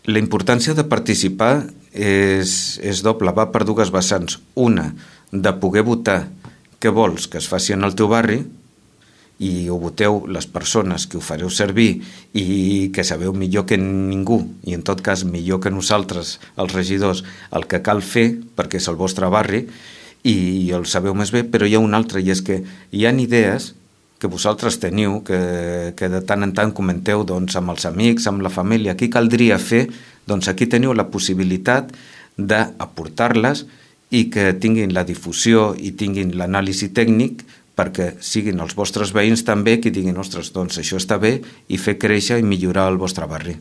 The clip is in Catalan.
La importància de participar és doble, va per dues vessants. Una, de poder votar què vols que es faci en el teu barri, i ho voteu les persones que ho fareu servir i que sabeu millor que ningú, i en tot cas millor que nosaltres, els regidors, el que cal fer perquè és el vostre barri i el sabeu més bé. Però hi ha una altra, i és que hi ha idees que vosaltres teniu, que de tant en tant comenteu amb els amics, amb la família, què caldria fer. Doncs aquí teniu la possibilitat d'aportar-les i que tinguin la difusió i tinguin l'anàlisi tècnic, perquè siguin els vostres veïns també qui diguin, ostres, doncs això està bé, i fer créixer i millorar el vostre barri.